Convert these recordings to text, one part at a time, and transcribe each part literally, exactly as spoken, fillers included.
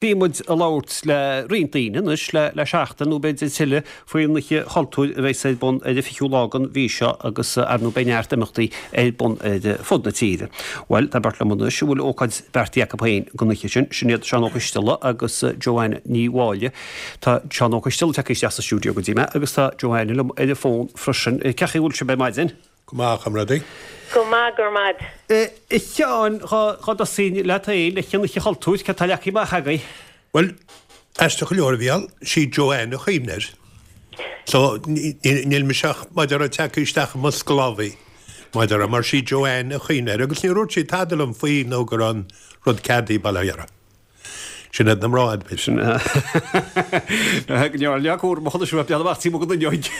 Bhí muid ag labhairt le roinnt daoine anois le le seachtain nó b'fhéidir tuilleadh faoin Oíche Chultúir a bheas ar bun ar an fichiú lá den mhí seo agus ar ndóigh beidh neart imeachtaí ar bun ar fud na tíre. Bhuel, tá beirt liom anois a bhfuil ócáid beartaithe acu féin don oíche sin, sin iad Seán Ó Coisteala agus Joanne Ní Mháille. Tá Seán Ó Coisteala tagtha isteach sa stiúideo go dtí mé agus tá Joanne liom ar an bhfón freisin. Cén chaoi a bhfuil sibh ar maidin? Go maith, a chomrádaí. Go maith, go raibh maith. A Sheáin, dhá dtosóinn leat féin, leis an Oíche Chultúir, cad tá leagtha amach agaibh? Bhuel, aisteach go leor, a Mhícheáil, sí Joanne a chuimhnigh air. So, níl mise ach, mar a déarfá, tagtha isteach i mbosca lámhaigh, mar a déarfá, mar sí Joanne a chuimhnigh air agus níor dhúirt sí tada liom faoi nó go raibh an rud ceadaithe, bail ó Dhia uirthi. Sin iad na mná, a dúirt. Sin Go leor cúram a chonais bean amach tí mo go n-inneoidh.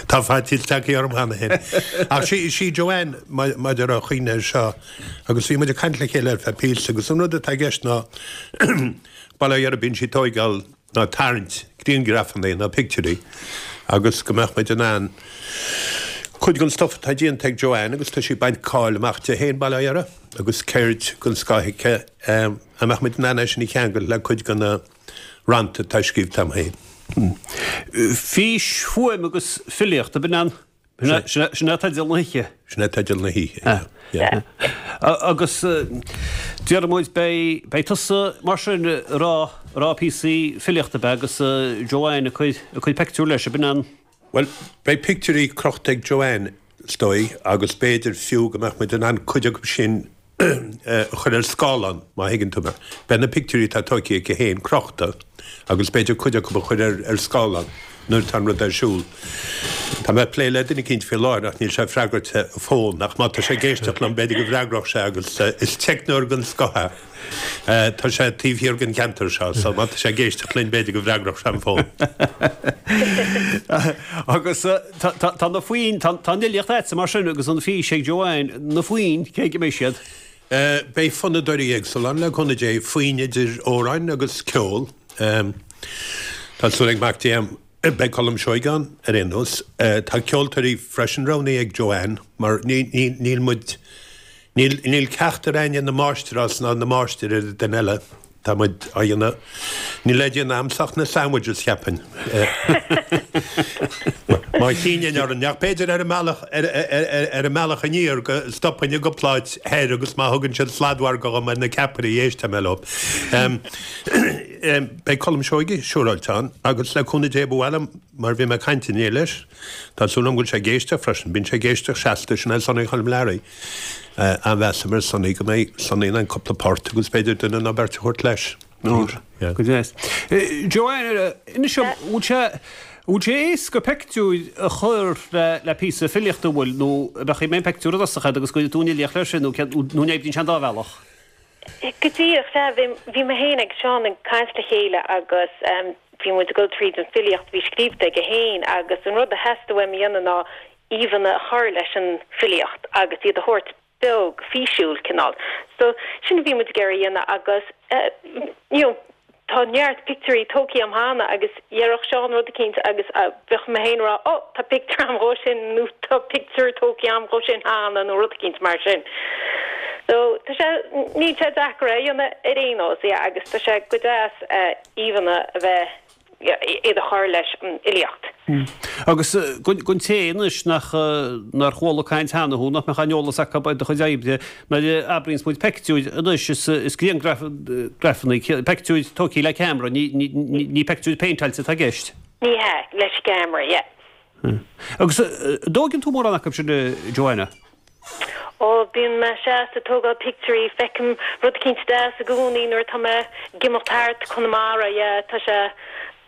Tá faitíos tagtha orm cheana féin. Ach sí sí Joanne mar a déarfá a chuimhnigh air seo agus bhí muid ag caint le chéile ar feadh píosa agus an rud atá i gceist ná bail ó Dhia uirthi bíonn sí ag tóigeáil ná tarraingt grianghrafanna ná pictiúirí agus go mbeadh muid in ann cuid den stuff atá déanta ag Joanne agus tá sí ag baint cáil amach di féin, bail ó Dhia uirthi, agus ceird den scoth aici, an mbeadh muid in ann é sin a cheangal le cuid de na rannta atá scríobhta agam féin. Fís, fuaim agus filíocht, ab in an? Sin é teideal na hoíche. Sin é teideal na hoíche, yeah. Agus déarfaidh muid, beidh beidh tusa mar sin ag rá ag rá píosaí filíochta ab ea agus Joanne ag cur ag cur pictiúr leis, ab in an? Bhuel, beidh pictiúirí crochta ag Joanne, is dóigh, agus b'fhéidir fiú go mbeadh muid in ann cuid acu sin a chur ar scáileán, má thuigeann tú mé. Beidh na pictiúirí atá tógtha aici féin crochta agus b'fhéidir cuid acu a chur ar scáileán nuair atá an rud ar siúl. Tá mé ag plé le duine eicínt faoi láthair ach níl sé ag freagairt a fón ach má tá sé ag éisteacht liom b'fhéidir go bhfreagródh sé agus is teicneoir den scoth é. Tá sé taobh thiar den cheantar seo so má tá sé ag éisteacht linn b'fhéidir go bhfreagródh sé an fón. Agus tá na foinn, tá an fhilíocht agatsa mar sin agus an fís ag Joanne, na foinn, cé aige a mbeidh siad? Beidh fonnadóirí éagsúla ann le cúnamh Dé, foinn idir amhráin agus ceol. Tá súil ag Mac Dé a'm, beidh Colm Seoighe ann ar aon nós. Tá ceoltóirí freisin roghnaithe ag Joanne mar níl muid, Níl, níl ceachtar againne ina máistreás ná ina máistir ar an duine eile. Tá muid á dhéanamh, níl le déanamh a'msa ach na sandwiches, cheapfainn. Má shíneann orainn, ach b'fhéidir ar an mbealach, ar, ar, ar an mbealach aniar go stopfainn i gcúpla áit thoir agus má thugann siad sladmhargadh dhom ar na ceapairí, éistfidh mé leo. Beidh Colm Seoighe siúráilte ann agus le cúnamh Dé ba mhaith liom, mar bhí mé ag caint inné leis, tá súil agam go bhfuil sé ag éisteacht freisin, bíonn sé ag éisteacht seasta, sin é Sonny Choilm Learaí. An-mheas agam ar Sonny go mbeidh Sonny in ann cúpla port agus b'fhéidir duine nó beirt a thabhairt leis. Go deas. Joanne, inis dom, bhfuil sé, bhfuil sé éasca pictiúir a chur le, le píosa filíochta, an bhfuil, nó an mbeadh an pictiúr i dtosach agat agus go gcuirfidh tú an fhilíocht leis sin, nó céard, nó an oibríonn sé an dá bhealach? Go díreach, sea. Bhí, bhí mé féin agus Seán ag caint le chéile agus bhí muid ag dul tríd an filíocht a bhí scríobhta aige féin agus an rud a theastaigh uaim a dhéanamh ná íomhánna a chur leis an filíocht agus iad a thabhairt beo, físiúil, cineál. So, sin a bhí muid ag iarraidh a dhéanamh agus you know tá neart pictiúirí tógtha agam cheana agus dhéarfadh Seán rud eicínt agus bheadh mé féin ag rá oh tá pictiúr agam dhó sin nó tá pictiúr tógtha agam dhó sin cheana nó rud eicínt mar sin. So tá sé, níl sé deacair é a dhéanamh ar aon nós, yeah, agus tá sé go deas íomhánna a bheith iad a chur leis an fhilíocht. Agus don té anois nach nár chuala caint cheana thú, nach mbeadh aon eolas acu ar do chuid oibre, nuair a abraíonns muid peictiúir anois, is grianghrafanna, peictiúir tógtha le ceamara, ní peictiúir péinteáilte atá i gceist. Ní hea, leis an gceamara, yeah. Agus an dtóigeann tú mórán acu sin, a Joanna? Ó, bíonn mé seasta ag tógáil pictiúirí, feicim rud eicínt deas i gcónaí nuair atá mé ag imeacht thart Conamara, yeah, tá sé,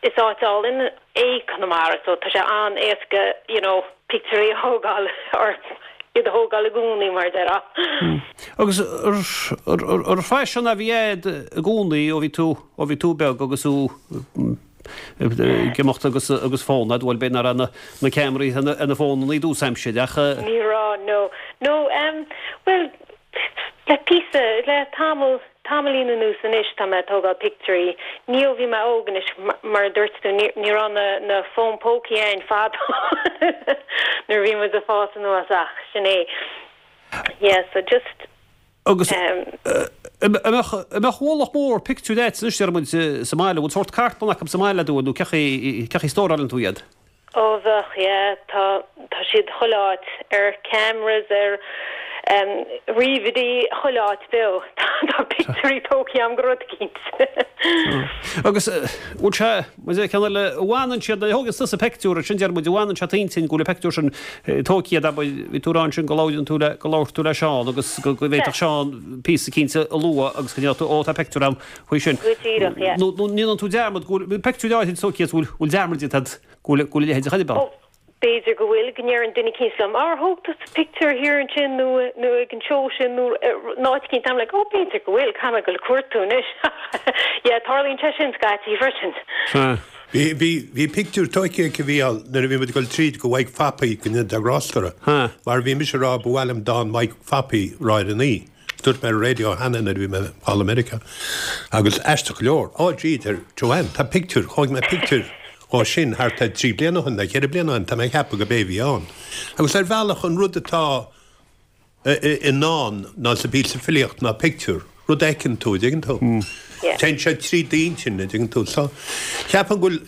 is áit álainn é Conamara so tá sé an-éasca, you know, pictiúirí a thógáil or iad a thógáil i gcónaí mar a déarfá. Agus ar phaisean a bhí agat i gcónaí ó bhí tú, ó bhí tú beag agus thú ag imeacht agus agus fón agat, bhuel b'fhéidir nach raibh na na ceamaraí ar na fónanna i dtús aimsire ach. Ní raibh, no. No, em, bhuel, le píosa, le tamall, tamaillín anuas anois tá mé ag tógáil pictiúirí. Ní ó bhí mé óg anois, mar a dúirt tú, ní ní raibh na na fóin pócaí a'inn fadó nuair a bhí muid ag fás anuas ach sin é. Yeah, so just. Agus an mbeadh ualach mór pictiúir agat anois deir muid sa mbaile, bhfuil sórt cartlann acu sa mbaile nó cén chaoi a stórálann tú iad? Ó bheadh, yeah, tá tá siad chuile áit, ar cameras, ar um, ríomhairí, chuile áit beo. Tá pictiúirí tógtha agam go rud eicínt. Agus bhfuil sé, muid ag ceann eile, an bhfanann siad, nuair a thógann tusa pictiúr, sin deir muid, an bhfanann sé i d'intinn go bhfuil an pictiúr sin tógtha agat, abair, bhí tú ag rá ansin go labhrann tú le, go labhair tú le Seán agus go go bhféadfadh Seán píosa eicínt a lua agus go ndéarfadh tú, ó tá pictiúr agam faoi sin. Go díreach, yeah. Nó nó ndéanann tú dearmad go bhfuil pictiúr áirid tógtha agat, bhfuil bhfuil dearmad déanta agat go bhfuil go bhfuil a leithéid de chaitheamh ann. Ó, b'fhéidir go bhfuil, go ndeireann duine eicínt liom, Ar thóg tusa pictiúr thiar ansin nó nó ag an seó sin nó in áit eicínt? I'm like, Ó, b'fhéidir go bhfuil, caithfidh mé dul ag cuartú anois. Yeah, tarlaíonn sé sin scaití freisin. Sea. Bhí, bhí, bhí pictiúr tógtha aici a Mhícheáil nuair a bhí muid ag dul tríd go Mhaidhc Phapaí go Ionad an Ghrástaire Ha. mar bhí mise ag rá ba mhaith liom dán Mhaidhc Phapaí a rá ar an oíche. Dúirt mé ar an raidió cheana nuair a bhí mé thall i Meiriceá. Agus aisteach go leor, á gee, deir Joanne, tá pictiúr, thóg mé pictiúr dhó sin thart ar trí bliana ó shin, nó ceithre bliana ó shin, tá mé ag ceapadh go b'é a bhí ann. Agus ar bhealach an rud atá i ndán ná sa bpíosa filíocht ná pictiúr, rud a fheiceann tú, an dtuigeann tú? Téann sé trí d'intinn, an dtuigeann tú? So, ceapaim go bhfuil,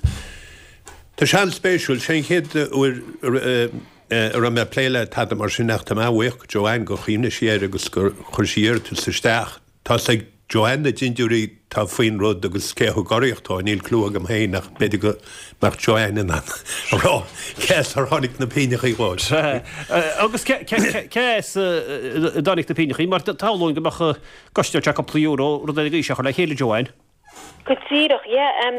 tá sé an-spéisiúil, sé an chéad uair a raibh mé ag plé le tada mar sin ach tá mé an-bhuíoch go Joanne gur chuimhnigh sí air agus gur chuir sí iarratas isteach. Tá's ag Joanne na dindiúirí tá faoin rud agus cé a thug urraíocht dó, níl clue agam féin ach b'fhéidir go mbeadh Joanne in ann a rá cé as ar tháinig na pingneachaí dhó. Agus cé as a dtáinig na pingneachaí? Mar shamhlóinn go mbeadh costas cúpla euro rud ar an gcaoi seo a chur le chéile, Joanne. Go díreach, yeah.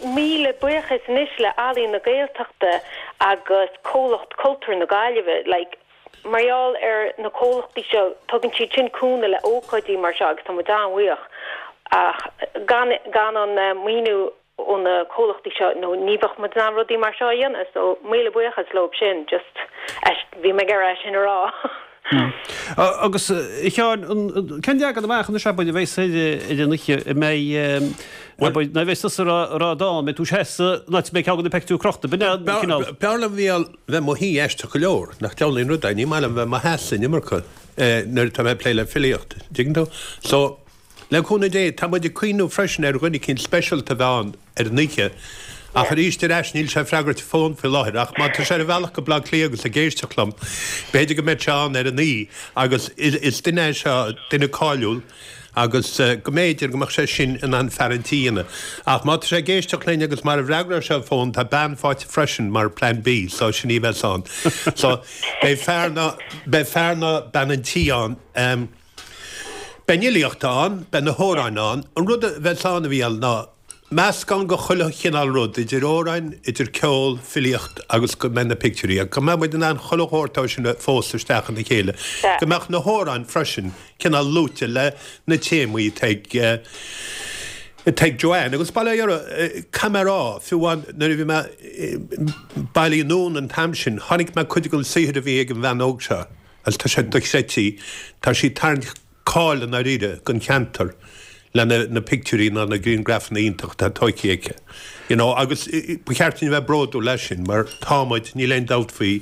Míle buíochas anois le Ealaín na Gaeltachta agus Comhlacht Cultúir na Gaillimhe. Like, mar gheall ar na comhlachtaí seo, tugann siad sin cúnamh le ócáidí mar seo agus tá muid an-bhuíoch. Ach gan gan an maoiniú ó na comhlachtaí seo, no ní bheadh muid in ann rudaí mar seo a dhéanamh. So míle buíochas leo sin, just bhí mé ag iarraidh é sin a rá. Agus a Sheáin, cén leagan amach anois abair a bheas ar an oíche, an mbeidh, abair, nuair a bheas tusa ag rá dán, mbeidh tú seasta an áit a mbeidh ceann de na peictiúir crochta, b'in é an cineál. B'fhearr liom a bheith i mo shuí aisteach go leor, nach diabhal aon rud é, ní maith liom bheith i mo sheasamh an iomarca nuair atá mé ag plé le filíocht, dtuigeann tú? So, Le cúnamh Dé, tá muid ag cuimhniú freisin ar dhuine eicínt speisialta a bheith ann ar an oíche, ach arís ar ais níl sé ag freagairt a fón faoi láthair, ach má tá sé ar a bhealach go Baile Átha Cliath agus ag éisteacht liom, b'fhéidir go mbeidh sé ann ar an oíche agus is duine é seo, duine cáiliúil agus go mb'fhéidir go mbeadh sé sin in ann fear an tí a dhéanamh. Ach má tá sé ag éisteacht linn agus mara bhfreagróidh sé a fón, tá bean faighte freisin mar Plan B, so sin í a bheas ann. So beidh fear nó beidh fear nó bean an tí ann. Beidh an fhilíocht ann, beidh na hamhráin ann. An rud a bheas ann, a Mhícheáil, ná meascán de chuile chineál rud, idir amhráin, idir ceol, filíocht agus go mbeidh na pictiúirí, go mbeidh muid in ann chuile shórt dó sin a phósadh isteach ina chéile, go mbeadh na hamhráin freisin cineál luaite le na téamaí atá ag atá ag Joanne. Agus bail ó Dhia uirthi, caithfidh mé a rá, fiú amháin nuair a bhí mé bailithe anonn an t-am sin, chonaic mé cuid den saothar a bhí ag an bhean óg seo. Agus tá sé dochreidte, tá sí ag tarraingt cáil i ndáiríre don cheantar le na pictiúirí ná na griangrafanna iontacha atá tóigthe aici. You know, agus ba cheart dúinn a bheith bródúil as sin mar tá muid, níl aon dabht faoi,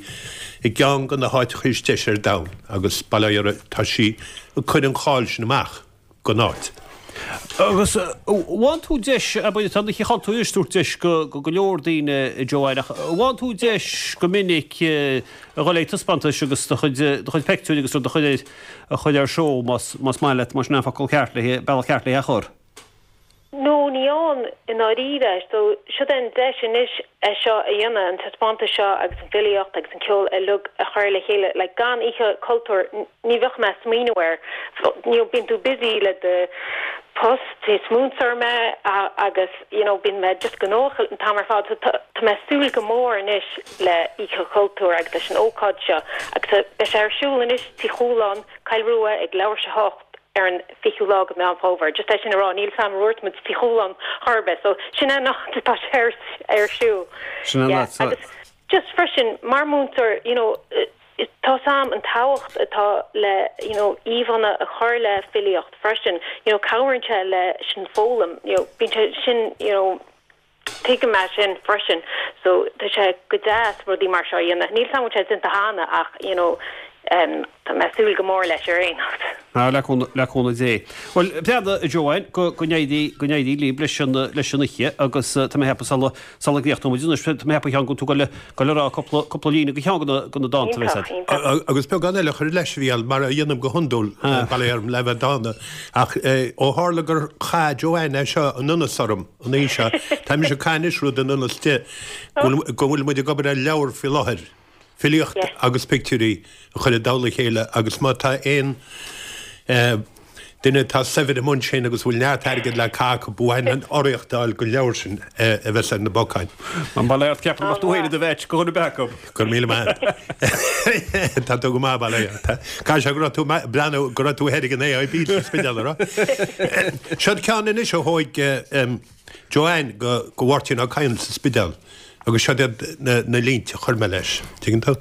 i gceann de na háiteacha is deise ar domhan agus bail ó Dhia uirthi, tá sí ag cur an cháil sin amach. don áit. Agus bhain tú deis, abair, tá an Oíche Chultúir ag tabhairt deis go go leor daoine, Joanne, ach bhain tú deis go minic a dhul ag taispeántais agus do chuid do chuid peictiúirí agus rud a chur ar a chur ar seó más más maith leat, más sin an focal ceart le bealach ceart le é a chur. No, ní fhaigheann, i ndáiríre. So, siod é an deis anois é seo a dhéanamh, an taispeántas seo agus an filíocht agus an ceol uilig a chur le chéile. Like, gan Oíche Chultúir, ní bheadh mé ag smaoineamh air. You know, bíonn tú busy le do post, is múinteoir mé agus, you know, bíonn mé just gnóthach an t-am ar fad. So, tá, tá mé ag súil go mór anois le Oíche Chultúir agus leis an ócáid seo. Agus beidh sé ar siúl anois Tigh Chualáin, Coill Rua ag leathuair tar éis a hocht. ar an fichiú lá de Mheán Fómhair. Just é sin a rá, níl 's a'm ar dhúirt muid Tigh Chualáin chor ar bith, so sin é an áit atá sé ar ar siúl. Sin an Yeah, áit. agus just freisin, mar múinteoir, you know, tá 's a'm an tábhacht atá le, you know, íomhánna a chur le filíocht freisin, you know, cabhraíonn sé leis an foghlaim, you know, bíonn sé sin, you know, Tuigim é sin freisin so tá sé go deas rudaí mar seo a dhéanamh. Níl 's a'm an bhfuil sé déanta cheana ach you know Tá mé ag súil go mór leis ar aon nós. Ah, le cúnamh, le cúnamh Dé. Bhuel, breathnaigh, a Joanne, go, go n-éirí, go n-éirí libh leis an, leis an oíche agus tá mé ag ceapadh sula, sula gcríochnóidh muid anois, tá mé ag ceapadh a Sheáin go bhfuil tú ag goil a rá cúpla, cúpla líne de cheann de na, de na dánta a bheas Iontach, iontach. Agus beagán eile a chur leis, a Mhícheáil, mar a dhéanaim go hiondúil, bail orm le bheith dána, ach ó tharla gur chaith Joanne é seo in ionas orm an oíche seo, tá mise ag caitheamh anois rud in ionas di, go bhfuil, go bhfuil muid ag obair ar leabhar faoi láthair. Filíocht agus pictiúirí a chur i dtoll a chéile agus má tá aon duine atá saibhir i mbun sin agus a bhfuil neart airgid le caitheamh acu, ba mhaith linn urraíocht a fháil don leabhar sin a bheas ar na bacáin. An bail ort, ceapaim go mbeadh tú féin i do mheaits do dhuine ar bith acu. Go raibh míle maith agat. Tá tú go maith, bail ort. Caithfidh sé go raibh tú breathnú go raibh tú thoir ag an AIB sa Spidéal, an raibh? Seod ceann anois a thóig Joanne go Mháirtín Ó Cadhain sa Spidéal. Agus seod iad na línte a chuir mé leis, tuigeann tú?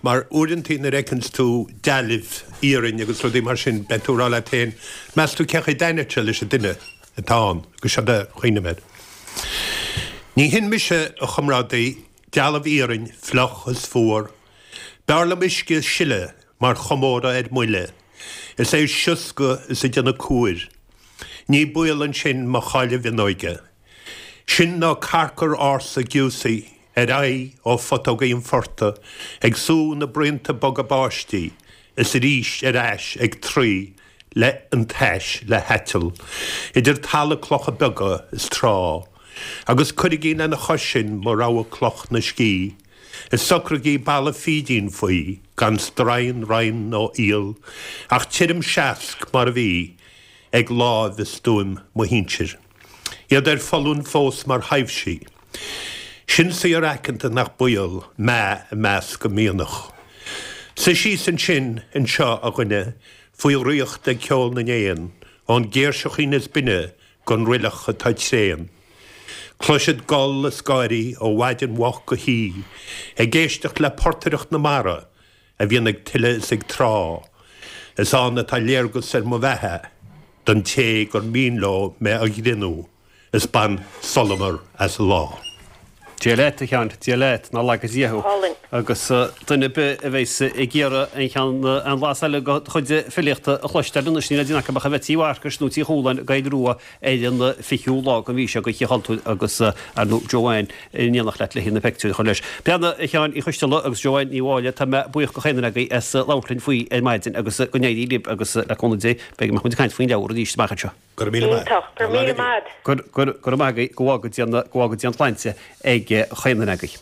Mar uaireantaí nuair a fheiceanns tú dealbh iarainn agus rudaí mar sin, beidh tú ag rá leat féin, meas tú cén chaoi a dtaitneodh sé leis an duine atá ann? Agus seod é a chuimhnigh mé air. Ní hin mise, a chomrádaí, dealbh iarainn, fliuch is fuar. B'fhearr liom uisce ag sileadh mar chomóradh ar m'uile, is é ag sioscadh is ag déanamh cúir. Ní baol ansin mo cháile mhionóige. Sin nó carcair ársa giúsaí ar aghaidh ó phutógaí an phortaigh ag sú na braonta boga báistí is arís ar ais ag troí le an tais le haiteal idir talamh clocha beaga is trá. Agus cuirigí lena chois sin mo rogha cloch 'na scíth is socraigí balla fídín faoi gan stroighin, roinn nó iall ach tirim seasc mar a bhí ag láimh i stuaim mo shinsir. Iad ar foluain fós mar thaibhsí. Sin saothar aiceanta nach baol meath i measc a mianach. Suigh síos ansin, anseo, a dhuine, faoi dhraíocht ag ceol na n-éan, ón gcéirseachín is binne gon roilleach atá tréan. Cloisfead gol is gáirí ó mhaidin mhoch go hoíche, ag éisteacht le portaireacht na mara a bhíonn ag tuile is ag trá. Is ann atá léargas ar mo bheatha don té gur mian leo mé a ghrinnú is bain solamar as an lá. Dia leat, a Sheáin, Dia leat, ná laga Dia thú. Álainn. Agus duine ar bith a bheas ag iarraidh an cheann, an blas eile de do chuid filíochta a chloisteáil anois, níl le déanamh acu ach a bheith Tí Mharcais nó Tí Chualáin i gCoill Rua ar an fichiú lá den mhí seo d'Oíche Chultúir agus ar ndóigh Joanne in éineacht leat le na pictiúir a chur leis. Breathnaigh, a Sheáin Uí Choisteala agus Joanne Ní Mháille, tá mé buíoch de chaon duine agaibh as labhairt linn faoi ar maidin agus go n-éirí libh agus le cúnamh Dé beidh go mbeidh muid ag caint faoin leabhar arís amach anseo. Go raibh míle maith. Iontach. Go raibh míle maith. Go raibh maith agaibh, go bhfága Dia, go bhfága Dia an tsláinte ag chaon duine agaibh.